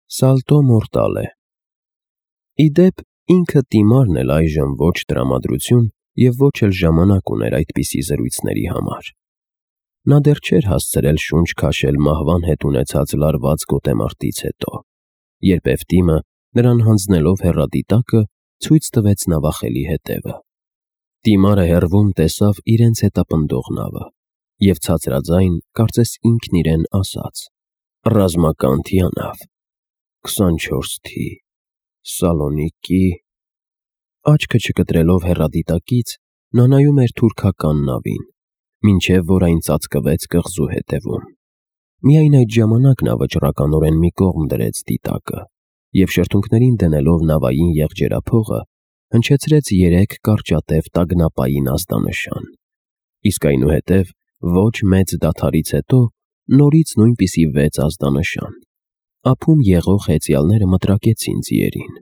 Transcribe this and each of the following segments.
Սալտո մորտալե։ Ի դեպ, ինքը Տիմարն էլ այժմ ոչ տրամադրություն և ոչ էլ ժամանակ ուներ այդպիսի զրույցների համար։ Նա դեռ չէր հասցրել շունչ քաշել մահվան հետ ունեցած լարված գոտեմարտից հետո, երբ Էվտիմը, նրան հանձնելով հեռադիտակը, ցույց տվեց նավախելի հետևը։ Տիմարը հեռվում տեսավ իրենց հետապնդող նավը և ցածրաձայն, կարծես ինքն իրեն ասաց. «Ռազմական թիանավ, 24 թ. Սալոնիկի»։ Աչքը չկտրելով հեռադիտակից, նա նայում էր թուրքական նավին, մինչև որ այն ծածկվեց կղզու հետևում։ Միայն այդ ժամանակ նա վճռականորեն մի կողմ դրեց դիտակը և շրթունքներին դնելով նավային եղջերափողը, հնչեցրեց 3 կարճատև տագնապային ազդանշան, իսկ այնուհետև ոչ մեծ դադարից հետո նորից նույնպիսի 6 ազդանշան։ Ափում եղող հեծյալները մտրակեցին ձիերին։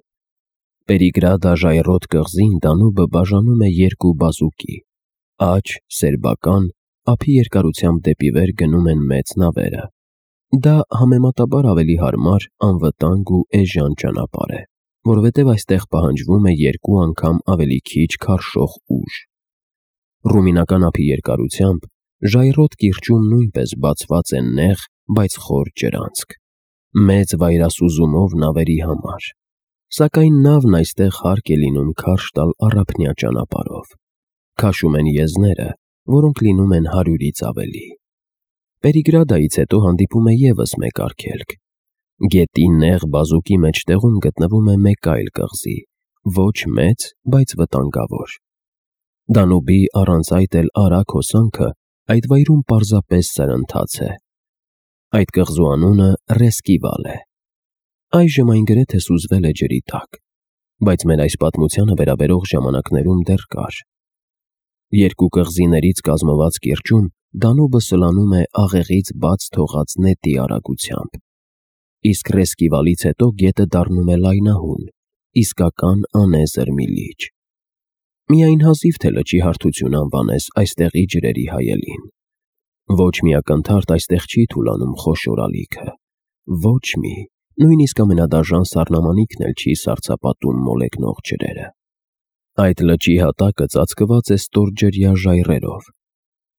Պերիգրադա ժայռոտ կղզին Դանուբը բաժանում է 2 բազուկի, աջ, սերբական, ափի երկարությամբ դեպի վեր գնում են մեծ նավերը։ Դա համեմատաբար ավելի հարմար, անվտանգ ու էժան ճանապարհ է, որովհետև այստեղ պահանջվում է 2 անգամ ավելի քիչ քարշող ուժ։ Ռումինական ափի երկարությամբ ժայռոտ կիրճում նույնպես բացված է նեղ, բայց խոր ջրանցք, մեծ վայրասուզումով նավերի համար, սակայն նավն այստեղ հարկ է լինում քարշ տալ առափնյա ճանապարհով։ Քաշում են եզները, որոնք լինում են 100-ից ավելի։ Պերիգրադայից հետո հանդիպում է ևս մեկ արգելք։ Գետի նեղ բազուկի մեջտեղում գտնվում է մեկ այլ կղզի, ոչ մեծ, բայց վտանգավոր։ Դանուբի առանց այդ էլ արագ հոսանքը այդ վայրում պարզապես սրընթաց է։ Այդ կղզու անունը Ռեսկիվալ է։ Այժմ այն գրեթե սուզվել է ջրի տակ, բայց մեր այս պատմությանը վերաբերող ժամանակներում դեռ կար։ 2 կղզիներից կազմված կիրճում Դանուբը սլանում է աղեղից բաց թողած նետի արագությամբ, իսկ Ռեսկիվալից հետո գետը դառնում է լայնահուն, իսկական անեզր մի լիճ։ Միայն հազիվ թե լճի հարթություն անվանես այստեղի ջրերի հայելին։ Ոչ մի ակնթարթ այստեղ չի թուլանում խոշոր ալիքը, ոչ մի, նույնիսկ ամենադաժան սառնամանիքն էլ չի սառցապատում մոլեգնող ջրերը։ Այդ լճի հատակը ծածկված է ստորջրյա ժայռերով։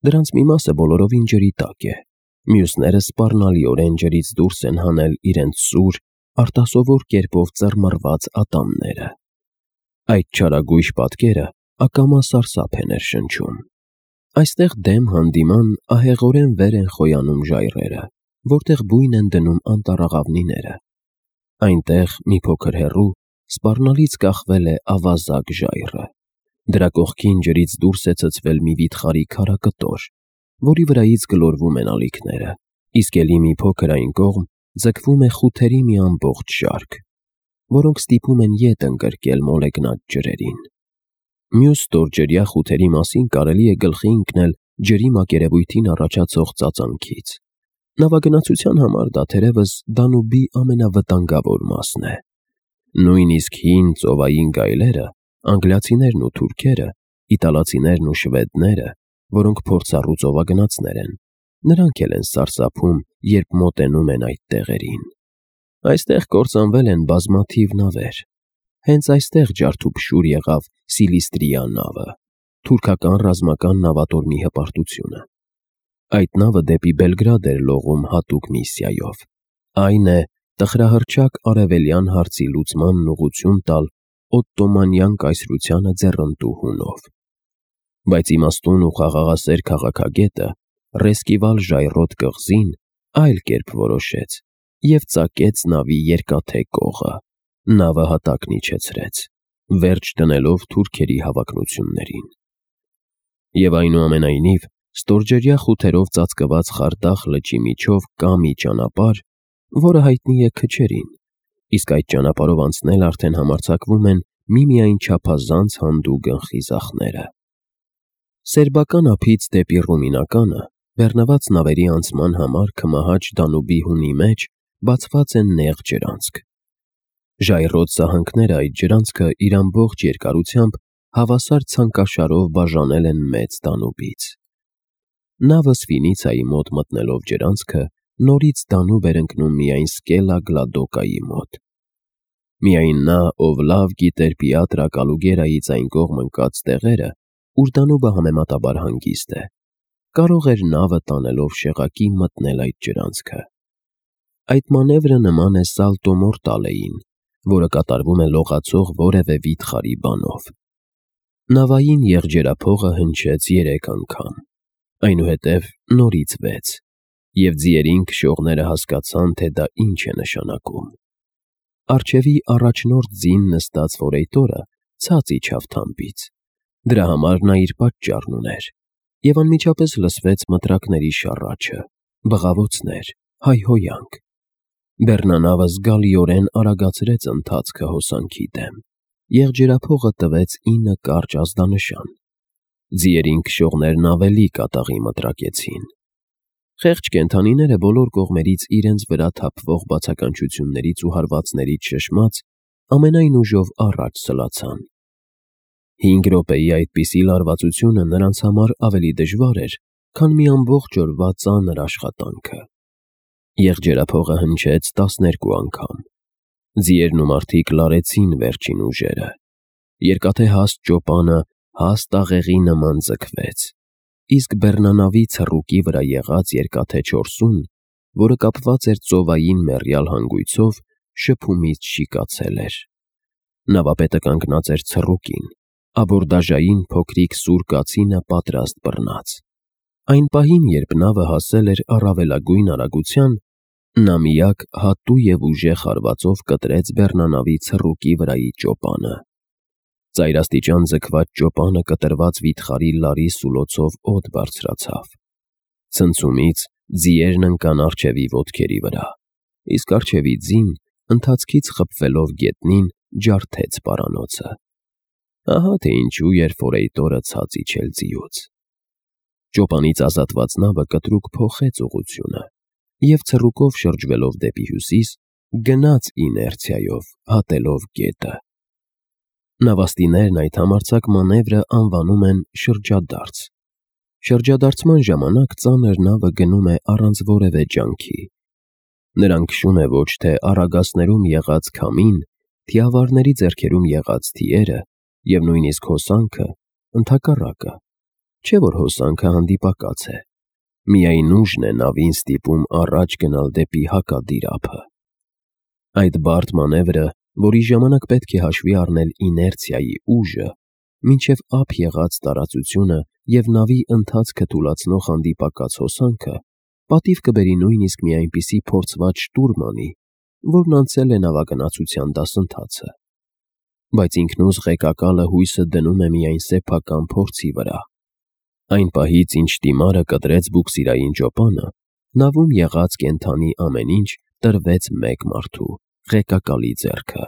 Դրանց մի մասը բոլորովին ջրի տակ է, մյուսները սպառնալիորեն ջրից դուրս են հանել իրենց սուր, արտասովոր կերպով ծռմռված ատամները։ Այդ չարագույժ պատկերը ակամա սարսափ է ներշնչում։ Այստեղ դեմ հանդիման ահեղորեն վեր են խոյանում ժայռերը, որտեղ բույն են դնում անտառաղավնիները։ Այնտեղ, մի փոքր հեռու, սպառնալից կախվել է ավազակ ժայռը։ Դրա կողքին ջրից դուրս է ցցվել մի վիթխարի քարակտոր, որի վրայից գլորվում են ալիքները, իսկ էլի մի փոքր այն կողմ ձգվում է խութերի մի ամբողջ շարք, որոնք ստիպում են ետ ընկրկել մոլեգնած ջրերին։ Մյուս ստորջրյա խութերի մասին կարելի է գլխի ընկնել ջրի մակերևույթին առաջացող ծածանքից։ Նավագնացության համար դա թերևս Դանուբի ամենավտանգավոր մասն է։ Նույնիսկ հին ծովային գայլերը, անգլիացիներն ու թուրքերը, իտալացիներն ու շվեդները, որոնք փորձառու ծովագնացներ են, նրանք էլ են սարսափում, երբ մոտենում են այդ տեղերին։ Այստեղ կործանվել են բազմաթիվ նավեր։ Հենց այստեղ ջարդուփշուր եղավ Սիլիստրիա նավը, թուրքական ռազմական նավատորմի հպարտությունը։ Այդ նավը դեպի Բելգրադ էր լողում հատուկ միսիայով, այն է տխրահռչակ արևելյան հարցի լուծմանն ուղղություն տալ օտտոմանյան կայսրությանը ձեռնտու հունով։ Բայց իմաստուն ու խաղաղասեր քաղաքագետը Ռեսկիվալ ժայռոտ կղզին այլ կերպ որոշեց և ծակեց նավի երկաթե կողը, նավը հատակն իջեցրեց, վերջ դնելով թուրքերի հավակնություններին։ Եվ այնուամենայնիվ, ստորջրյա խութերով ծածկված Խարդախ լճի միջով կա մի ճանապարհ, որը հայտնի է քչերին, իսկ այդ ճանապարհով անցնել արդեն համարձակվում են միմիայն չափազանց հանդուգն խիզախները։ Սերբական ափից դեպի Ռումինականը բեռնված նավերի անցման համար քմահաճ Դանուբի հունի մեջ բացված են նեղ ջրանցք։ Ժայռոտ սահանքները այդ ջրանցքը իր ամբողջ երկարությամբ հավասար ցանկաշարով բաժանել են մեծ Դանուբից։ Նավը Սվինիցայի մոտ մտնելով ջրանցքը նորից Դանուբ էր ընկնում միայն Սկելա Գլադոկայի մոտ։ Միայն նա, ով լավ գիտեր Պիատրա Կալուգերայից այն կողմ ընկած տեղերը, ուր Դանուբը համեմատաբար հանգիստ է, կարող էր նավը տանելով շեղակի մտնել այդ ջրանցքը։ Այդ մանևրը նման է սալտո մորտալեին, որը կատարվում է լողացող որևէ վիթխարի բանով։ Նավային եղջերափողը հնչեց 3 անգամ, այնուհետև նորից 6, և ձիերին քշողները հասկացան, թե դա ինչ է նշանակում։ Առջևի առաջնորդ ձին նստած ֆորեյտորը ցած իջավ թամբից, դրա համար նա իր պատճառն ուներ, և անմիջապես լսվեց մտրակների շառաչը, բղավոցներ, հայհոյանք։ Բեռնանավը զգալիորեն արագացրեց ընթացքը հոսանքի դեմ, եղջերափողը տվեց 9 կարճ ազդանշան։ Ձիերին քշողներն ավելի կատաղի մտրակեցին։ Խեղճ կենդանիները բոլոր կողմերից իրենց վրա թափվող բացականչություններից ու հարվածներից շշմած ամենայն ուժով առաջ սլացան։ 5 րոպեի այդպիսի լարվածությունը նրանց համար ավելի դժվար էր, քան մի ամբողջ օրվա ծանր աշխատանքը։ Եղջերափողը հնչեց 12 անգամ։ Ձիերն ու մարդիկ լարեցին վերջին ուժերը։ Երկաթե հաստ ճոպանը հաստ աղեղի նման ձգվեց, իսկ բեռնանավի ցռուկի վրա եղած երկաթե չորսուն, որը կապված էր ծովային մեռյալ հանգույցով, շփումից շիկացել էր։ Նավապետը կանգնած էր ցռուկին, աբորդաժային փոքրիկ սուր կացինը պատրաստ բռնած։ Այն պահին, երբ նավը հասել էր առավելագույն արագության, նա միակ հատու և ուժեղ հարվածով կտրեց բեռնանավի ցռուկի վրայի ճոպանը։ Ծայրաստիճան ձգված ճոպանը կտրված վիթխարի լարի սուլոցով օդ բարձրացավ։ Ցնցումից ձիերն ընկան առջևի ոտքերի վրա, իսկ առջևի ձին, ընթացքից խփվելով գետնին, ջարդեց պարանոցը։ Ահա թե ինչու էր ֆորեյտորը ցած իջել ձիուց։ Ճոպանից ազատված նավը կտրուկ փոխեց ուղղությունը և ցռուկով շրջվելով դեպի հյուսիս, գնաց իներցիայով, հատելով գետը։ Նավաստիներն այդ համարձակ մանևրը անվանում են շրջադարձ։ Շրջադարձման ժամանակ ծանր նավը գնում է առանց որևէ ջանքի։ Նրան քշում է ոչ թե առագասներում եղած քամին, թիավարների ձեռքերում եղած թիերը և նույնիսկ հոսանքը, ընդհակառակը, չէ որ հոսանքը հանդիպակաց է, միայն ուժն է նավին ստիպում առաջ գնալ դեպի հակադիր ափը։ Այդ բարդ մանևրը, որի ժամանակ պետք է հաշվի առնել իներցիայի ուժը, մինչև ափ եղած տարածությունը և նավի ընթացքը թուլացնող հանդիպակաց հոսանքը, պատիվ կբերի նույնիսկ մի այնպիսի փորձված շտուրմանի, որն անցել է նավագնացության դասընթացը։ Բայց ինքնուզ ղեկակալը հույսը դնում է միայն սեփական փորձի վրա։ Այն պահից, ինչ տիմարը կտրեց բուքսիրային ճոպանը, նավում եղած կենդանի ամեն ինչ տրվեց մեկ մարդու՝ ղեկակալի ձեռքը։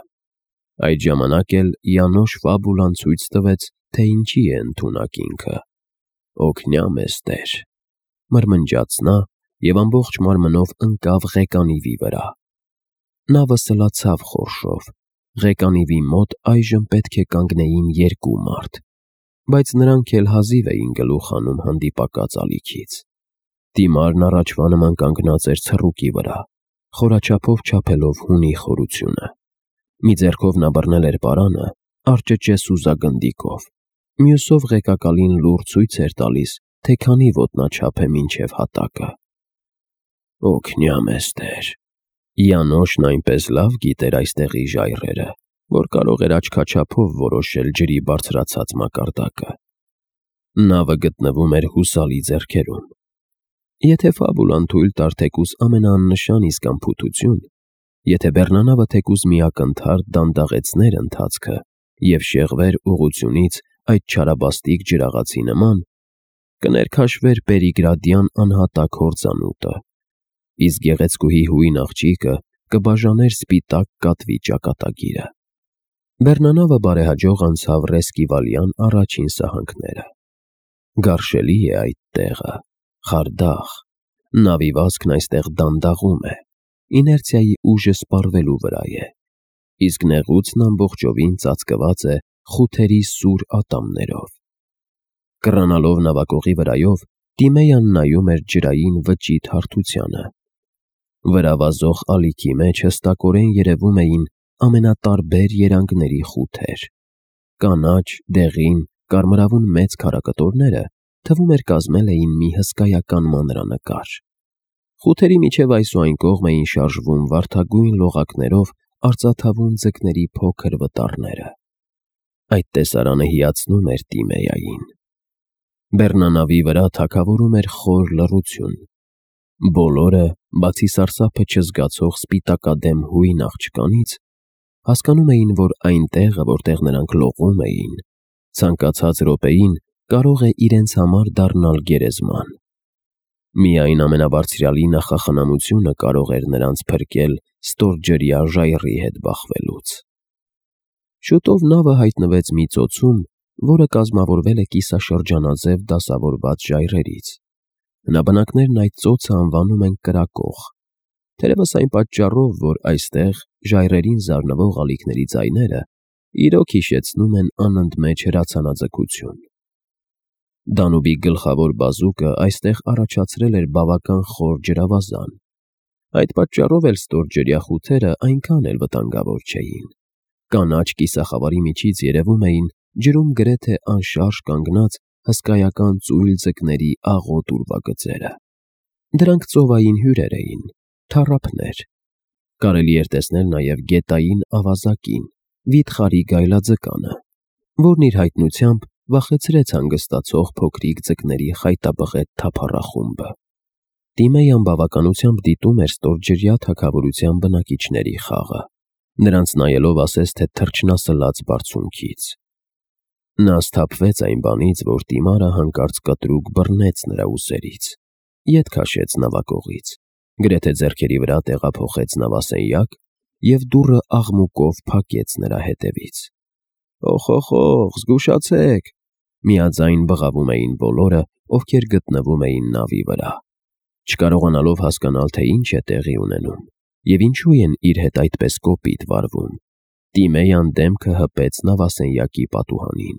Այդ ժամանակ էլ Յանոշ Ֆաբուլան ցույց տվեց, թե ինչի է ընդունակ ինքը։ «Օգնյա մեզ, Տեր», մրմնջաց նա և ամբողջ մարմնով ընկավ ղեկանիվի վրա։ Նավը սլացավ խորշով։ Ղեկանիվի մոտ այժմ պետք է կանգնեին 2 մարդ, բայց նրանք էլ հազիվ էին գլուխ հանում հանդիպակաց ալիքից։ Տիմարն առաջվա նման կանգնած էր ցռուկի վրա, խորաչափով չափելով հունի խորությունը։ Մի ձեռքով նա բռնել էր պարանը, արճճե սուզագնդիկով, մյուսով ղեկակալին լուռ ցույց էր տալիս, թե քանի ոտնաչափ է մինչև հատակը։ «Օգնյա մեզ, Տեր»։ Յանոշն այնպես լավ գիտեր այստեղի ժայռերը, որ կարող էր աչքաչափով որոշել ջրի բարձրացած մակարդակը։ Նավը գտնվում էր հուսալի ձեռքերում։ Եթե Ֆաբուլան թույլ տար թեկուզ ամենաաննշան իսկ անփութություն, եթե բեռնանավը թեկուզ մի ակնթարթ դանդաղեցներ ընթացքը և շեղվեր ուղղությունից այդ չարաբաստիկ ջրաղացի նման, կներքաշվեր Պերիգրադյան անհատակ հորձանուտը, իսկ գեղեցկուհի հույն աղջիկը կբաժաներ սպիտակ կատվի ճակատագիրը։ Բեռնանավը բարեհաջող անցավ Ռեսկիվալյան առաջին սահանքները։ Գարշելի է այդ տեղը, խարդախ, նավի վազքն այստեղ դանդաղում է, իներցիայի ուժը սպառվելու վրա է, իսկ նեղուցն ամբողջովին ծածկված է խութերի սուր ատամներով։ Կռանալով նավակողի վրայով, Տիմեյան նայում էր ջրային վճիտ հարթությանը, Վրա վազող ալիքի մեջ հստակորեն երևում էին ամենատարբեր երանգների խութեր։ Կանաչ, դեղին, կարմրավուն մեծ քարակտորները թվում էր կազմել էին մի հսկայական մանրանկար։ Խութերի միջև այս ու այն կողմ էին շարժվում վարդագույն լողակներով արծաթավուն ձկների փոքր վտարները։ Այդ տեսարանը հիացնում էր Տիմեյային։ Բեռնանավի վրա թագավորում էր խոր լռություն։ Բոլորը, բացի սարսափը չզգացող սպիտակադեմ հույն աղջկանից, հասկանում էին, որ այն տեղը, որտեղ նրանք լողում էին, ցանկացած րոպեին կարող է իրենց համար դառնալ գերեզման։ Միայն ամենաբարձրյալի նախախնամությունը կարող էր նրանց փրկել ստորջրյա ժայռի հետ բախվելուց։ Շուտով նավը հայտնվեց մի ծոցում, որը կազմավորվել է կիսաշրջանաձև դասավորված ժայռերից։ Հնաբնակներն այդ ծոցը անվանում են կրակող, թերևս այն պատճառով, որ այստեղ ժայռերին զարնվող ալիքների ձայները իրոք հիշեցնում են անընդմեջ հրացանաձգություն։ Դանուբի գլխավոր բազուկը այստեղ առաջացրել էր բավական խոր ջրավազան։ Այդ պատճառով էլ ստորջրյա խութերը այնքան էլ վտանգավոր չէին։ Կանաչ կիսախավարի միջից երևում էին ջրում գրեթե անշարժ կանգնած հսկայական ծույլ ձկների աղոտ ուրվագծերը։ Դրանք ծովային հյուրեր էին, թառափներ։ Կարելի էր տեսնել նաև գետային ավազակին, վիթխարի գայլաձկանը, որն իր հայտնությամբ վախեցրեց հանգստացող փոքրիկ ձկների խայտաբղետ թափառախումբը։ Տիմեյան բավականությամբ դիտում էր ստորջրյա թագավորության բնակիչների խաղը, նրանց նայելով ասես թե թռչնասլաց բարձունքից։ Նա սթափվեց այն բանից, որ Տիմարը հանկարծ կտրուկ բռնեց նրա ուսերից, ետ քաշեց նավակողից, գրեթե ձեռքերի վրա տեղափոխեց նավասենյակ և դուռը աղմուկով փակեց նրա հետևից։ «Օխ, զգուշացեք», միաձայն բղավում էին բոլորը, ովքեր գտնվում էին նավի վրա, չկարողանալով հասկանալ, թե ինչ է տեղի ունենում և ինչու են իր հետ այդպես կոպիտ վարվում։ Տիմեյան դեմքը հպեց նավասենյակի պատուհանին։